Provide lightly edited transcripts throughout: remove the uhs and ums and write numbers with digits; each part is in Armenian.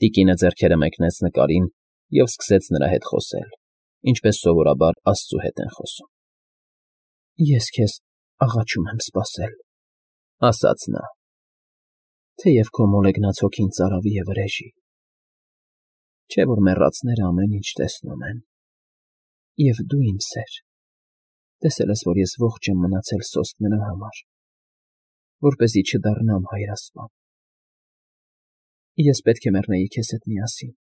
Տիկինը ձեռքերը մեկնեց նկարին և սկսեց նրա հետ խոսել, ինչպես սովորաբար աստծու հետ են խոսում։ ֊ Ես քեզ աղաչում եմ սպասել, ֊ ասաց նա, ֊ թեև քո մոլեգնած հոգին ծարավի է վրեժի, չէ՞ որ մեռածները ամեն ինչ տեսնում են, և դու, իմ սեր, տեսել ես, որ ես ողջ եմ մնացել սոսկ նրա համար, որպեսզի չդառնամ հայրասպան։ Ես պետք է մեռնեի քեզ հետ միասին,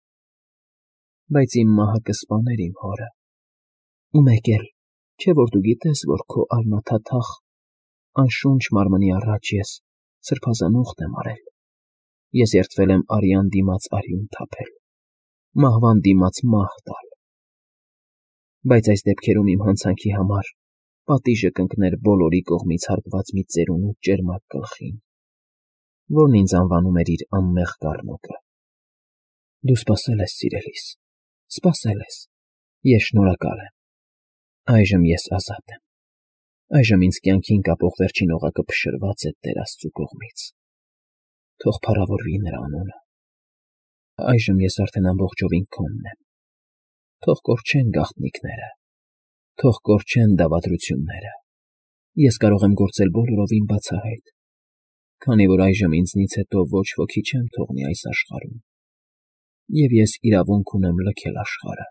բայց իմ մահը կսպաներ իմ հորը, ու մեկ էլ, չէ՞ որ դու գիտես, որ քո արմաթաթախ, անշունչ մարմնի առաջ ես սրբազան ուխտ եմ արել, ես երդվել եմ արյան դիմաց արյուն թափել, մահվան դիմաց մահ տալ, բայց այս դեպքերում իմ հանցանքի համար պատիժը կընկներ բոլորի կողմից հարկված մի ծերունու ճերմակ գլխին, որն ինձ անվանում էր իր անմեղ կառնոկը։ Դու սպասել ես, սիրելիս, սպասել ես, ես շնորհակալ եմ, այժմ ես ազատ եմ, այժմ ինձ կյանքին կապող վերջին օղակը փշրված է Տեր Աստծու կողմից, թող փառավորվի նրա անունը, այժմ ես արդեն ամբողջովին քոնն եմ, թող կորչեն գաղտնիքները, թող կորչեն դավադրությունները, ես կարող եմ գործել բոլորովին բացահայտ, քանի որ այժմ ինձնից հետո ոչ ոքի չեմ թողնի այս աշխարհում, և ես իրավունք ունեմ լքել աշխարհը։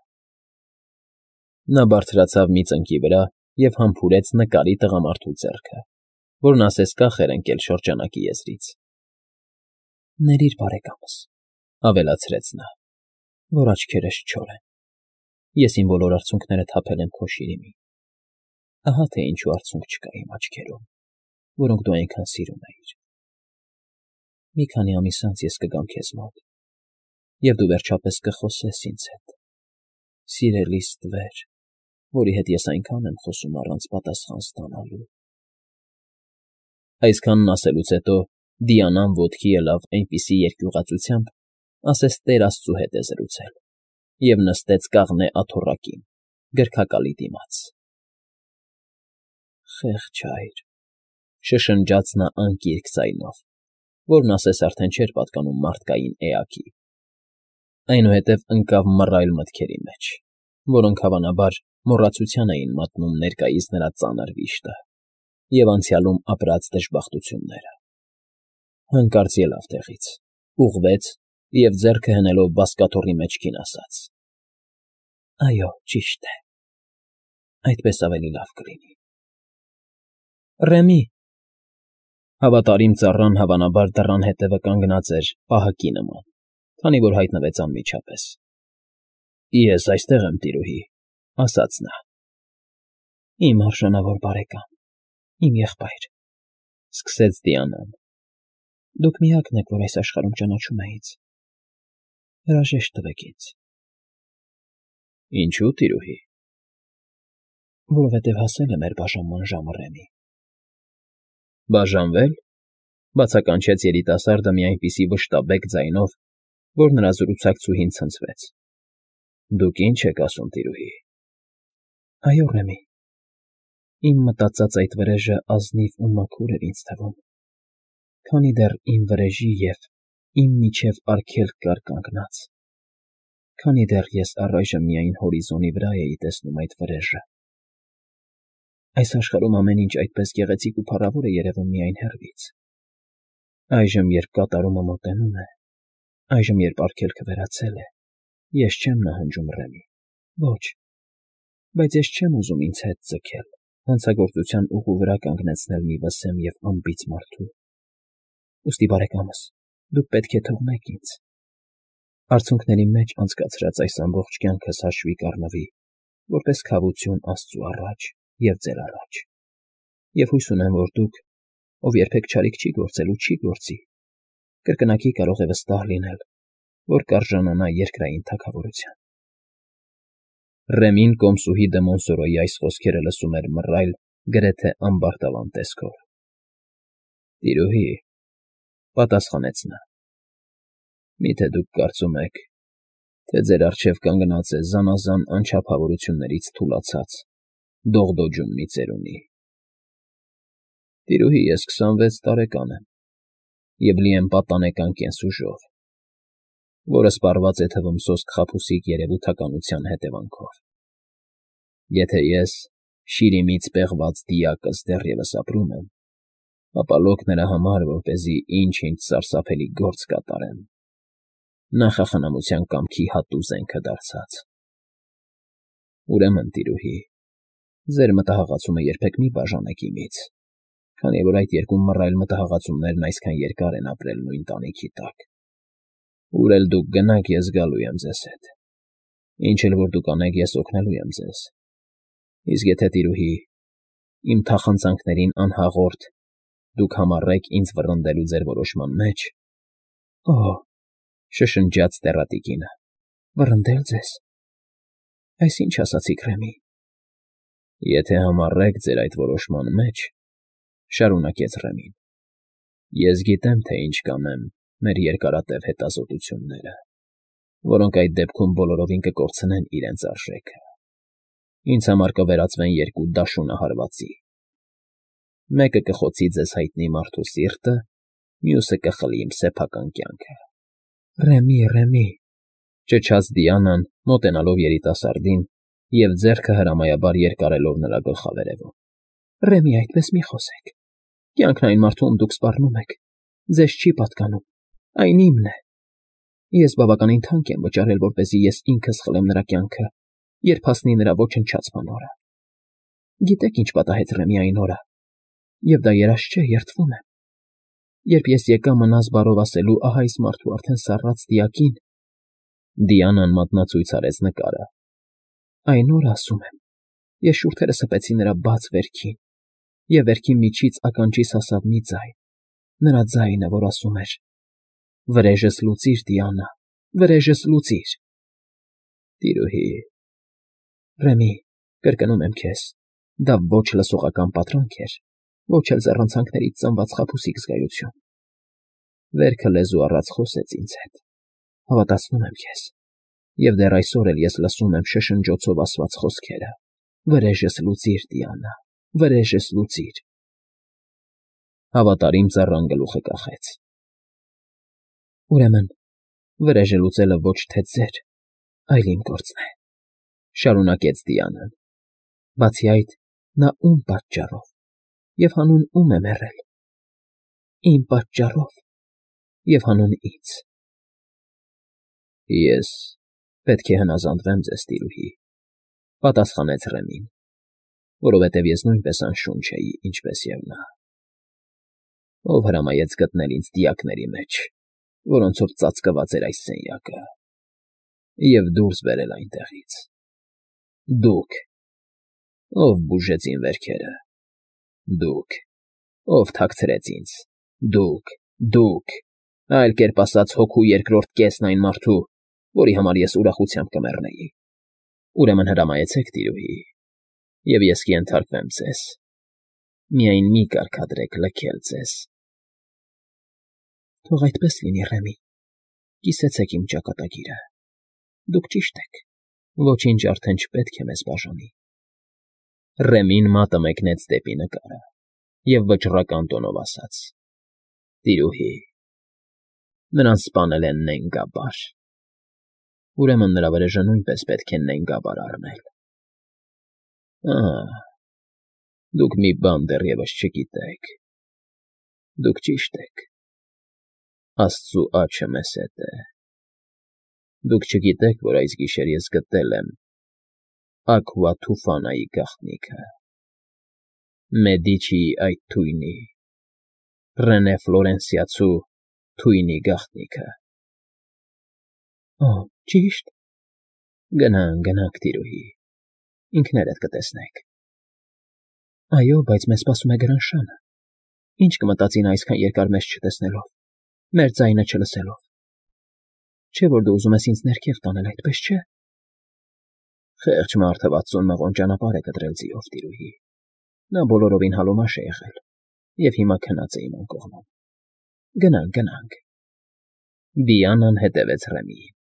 Նա բարձրացավ մի ծնկի վրա և համբուրեց նկարի տղամարդու ձեռքը, որն ասես կախ էր ընկել շրջանակի եզրից։ ֊ Ներիր բարեկամս, ֊ ավելացրեց նա, ֊ որ աչքերս չոր են, ես իմ բոլոր արցունքները թափել եմ քո շիրիմին, ահա թե ինչու արցունք չկա իմ աչքերում, որոնք դու այնքան սիրում էիր։ Մի քանի ամիս անց ես կգամ քեզ մոտ, և դու վերջապես կխոսես ինձ հետ, սիրելիս տվեր, որի հետ ես այնքան եմ խոսում առանց պատասխան ստանալու։ Այսքանն ասելուց հետո Դիանան ոտքի ելավ այնպիսի երկյուղածությամբ, ասես Տեր Աստծու հետ է զրուցել, և նստեց կաղնե աթոռակին, գրքակալի դիմաց։ Խեղճ հայր, ֊ շշնջաց նա անկիրք ձայնով, որն ասես արդեն չէր պատկանում մարդկային էակի, այնուհետև ընկավ մռայլ մտքերի մեջ, որոնք, հավանաբար, մոռացության էին մատնում ներկայիս նրա ծանր վիշտը և անցյալում ապրած դժբախտությունները։ Հանկարծ ելավ տեղից, ուղղվեց և, ձեռքը հնելով բազկաթոռի մեջքին, ասաց. ֊ Այո, ճիշտ է, այդպես ավելի լավ կլինի։ Ռեմի… Հավատարիմ ծառան, հավանաբար, դռան հետևը կանգնած էր պահակի նման, քանի որ հայտնվեց անմիջապես։ ֊ Ես այստեղ եմ, տիրուհի, ֊ ասաց նա։ ֊ Իմ արժանավոր բարեկամ, իմ եղբայր, ֊ սկսեց Դիանան, ֊ դուք միակն եք, որ այս աշխարհում ճանաչում է ինձ, հրաժեշտ տվեք ինձ։ ֊ Ինչո՞ւ, տիրուհի։ ֊ Որովհետև հասել է մեր բաժանման ժամը, Ռեմի։ ֊ Բաժանվե՞լ,֊ բացականչեց երիտասարդը մի այնպիսի վշտաբեկ ձայնով, որ նրա զրուցակցուհին ցնցվեց։ ֊ Դուք ի՞նչ եք ասում, տիրուհի։ ֊ Այո, Ռեմի, իմ մտածած այդ վրեժը ազնիվ ու մաքուր էր ինձ թվում, քանի դեռ իմ վրեժի և իմ միջև արգելք կար կանգնած, քանի դեռ ես առայժմ միայն հորիզոնի վրա էի տեսնում այդ վրեժը։ Այս աշխարհում ամեն ինչ այդպես գեղեցիկ ու փառավոր է երևում միայն հեռվից։ Այժմ, երբ կատարումը մոտենում է, այժմ, երբ արգելքը վերացել է, ես չեմ նահանջում, Ռեմի, ոչ, բայց ես չեմ ուզում ինձ հետ ձգել, հանցագործության ուղու վրա կանգնեցնել մի վսեմ և անբիծ մարդու։ Ուստի, բարեկամս, դուք պետք է թողնեք ինձ, արցունքների մեջ անցկացրած այս ամբողջ կյանքս հաշվի կառնվի որպես քավություն Աստծու առաջ և ձեր առաջ, և հույս ունեմ, որ դուք, ով երբեք չարիք չի գործել ու չի գործի, կրկնակի կարող է վստահ լինել, որ կարժանանա երկրային թագավորության։ Ռեմին կոմսուհի դե Մոնսորոյի այս խոսքերը լսում էր մռայլ, գրեթե ամբարտավան տեսքով։ ֊ Տիրուհի, ֊ պատասխանեց նա, ֊ միթե դուք կարծում եք, թե ձեր առջև կանգնած է զանազան անչափավորություններից թուլացած, դողդոջուն մի ծերունի։ Տիրուհի, ես 26 տարեկան եմ և լի եմ պատանեկան կենսուժով, որը սպառված է թվում սոսկ խաբուսիկ երևութականության հետևանքով։ Եթե ես, շիրիմից պեղված դիակս դեռևս ապրում եմ, ապա լոկ նրա համար, որպեսզի ինչ-ինչ սարսափելի գործ կատարեմ, նախախնամության կամքի հատու զենքը դարձած։ Ուրեմն, տիրուհի, ձեր մտահղացումը երբեք մի բաժանեք իմից, քանի որ այդ երկու մռայլ մտահղացումներն այսքան երկար են ապրել նույն տանիքի տակ։ Ուր էլ դուք գնաք, ես գալու եմ ձեզ հետ։ Ինչ էլ որ դուք անեք, ես օգնելու եմ ձեզ։ Իսկ եթե, տիրուհի, իմ թախանձանքներին անհաղորդ դուք համառեք ինձ վռնդելու ձեր որոշման մեջ… Օհ, շշնջաց տեռատիկինը, վռնդել ձեզ… Այս ինչ ասացիք, Ռեմի… Եթե համառեք ձեր այդ որոշման մեջ, շարունակեց Ռեմին, ես գիտեմ, թե ինչ կանեմ մեր երկարատև հետազոտությունները, որոնք այդ դեպքում բոլորովին կկորցնեն իրենց արժեքը։ Ինձ համար կվերածվեն երկու դաշունահարվածի. մեկը կխոցի ձեզ հայտնի մարդու սիրտը, մյուսը կխլի իմ սեփական կյանքը։ Ռեմի, ճչաց Դիանան, մոտենալով երիտասարդին և ձեռքը հրամայաբար երկարելով նրա գլխավերևում։ Ռեմի, այդպես մի խոսեք։ Կյանքն այն մարդու, ում դուք սպառնում եք, ձեզ չի պատկանում, այն իմն է։ Ես բավականին թանկ եմ վճարել, որպեսզի ես ինքս խլեմ նրա կյանքը, երբ հասնի նրա ոչնչացման օրը։ Գիտեք, ինչ պատահեց Ռեմի այն օրը, և դա երազ չէ, երդվում եմ։ Երբ ես եկա մնաս բարով ասելու ահա այս մարդու արդեն սառած դիակին… Դիանան մատնացույց արեց նկարը։ Այն օրը, ասում եմ, ես շուրթերս հպեցի նրա բաց վերքին, և վերքի միջից ականջիս հասավ մի ձայն, նրա ձայնը, որ ասում էր. «Վրեժս լուծիր, Դիանա, վրեժս լուծիր»։ Տիրուհի… Ռեմի, կրկնում եմ քեզ, դա ոչ լսողական պատրանք էր, ոչ էլ ձեռնոցանքներից ծնված խաբուսիկ զգայություն։ Վերքը լեզու առած խոսեց ինձ հետ, հավատացնում եմ քեզ, և դեռ այսօր էլ ես լսում եմ շշնջոցով ասված խոսքերը. «Վրեժս լուծիր, Դիանա, վրեժս լուծիր»։ Հավատարիմ ծառան գլուխը կախեց։ Ուրեմն, վրեժը լուծելը ոչ թե ձեր, այլ իմ գործն է, շարունակեց Դիանան։ Բացի այդ, նա ում պատճառով և հանուն ում է մեռել։ Իմ պատճառով և հանուն ինձ։ Ես պետք է հնազանդվեմ ձեզ, տիրուհի, պատասխանեց Ռեմին, որովհետև ես նույնպես անշունչ էի, ինչպես և նա։ Ով հրամայեց գտնել ինձ դիակների մեջ, որոնցով ծածկված էր այս սենյակը, և դուրս բերել այնտեղից։ Դուք… Ով բուժեց իմ վերքերը… Դուք… Ով թաքցրեց ինձ… Դուք… Այլ կերպ ասած, հոգու երկրորդ կեսն այն մարդու, որի համար ես ուրախությամբ կմեռնեի։ Ուրեմն հրամայեցեք, տիրուհի, և ես կենթարկվեմ ձեզ… Միայն մի կարգադրեք լքել ձեզ… Թող այդպես լինի, Ռեմի, կիսեցեք իմ ճակատագիրը։ Դուք ճիշտ եք, ոչինչ արդեն չպետք է մեզ բաժանի։ Ռեմին մատը մեկնեց դեպի նկարը և վճռական տոնով ասաց. Տիրուհի, նրան սպանել է Նենգաբար… Ուրեմն նրա վրեժը նույնպես պետք է Նենգաբար առնել։ Դուք մի բան դեռևս չգիտեք… Դուք ճիշտ եք… Աստծու աջը մեզ հետ է… Դուք չգիտեք, որ այս գիշեր ես գտել եմ Աքվա Թուֆանայի գաղտնիքը, Մեդիչիի այդ թույնի, Ռենե Ֆլորենսիացու թույնի գաղտնիքը… Օ, ճի՞շտ… Գնանք, տիրուհի, ինքներդ կտեսնեք… Այո, բայց մեզ սպասում է Գրանշանը… Ինչ կմտածի նա այսքան երկար մեզ չտեսնելով, մեր ձայնը չլսելով… Չէ՞ որ դու ուզում ես ինձ ներքև տանել, այդպես չէ՞… Խեղճ մարդը 60 մղոն ճանապարհ է կտրել ձիով, տիրուհի… Նա բոլորովին հալոմաշ է եղել և հիմա քնած է իմ անկողնում… Գնանք… Դիանան հետևեց Ռեմիին։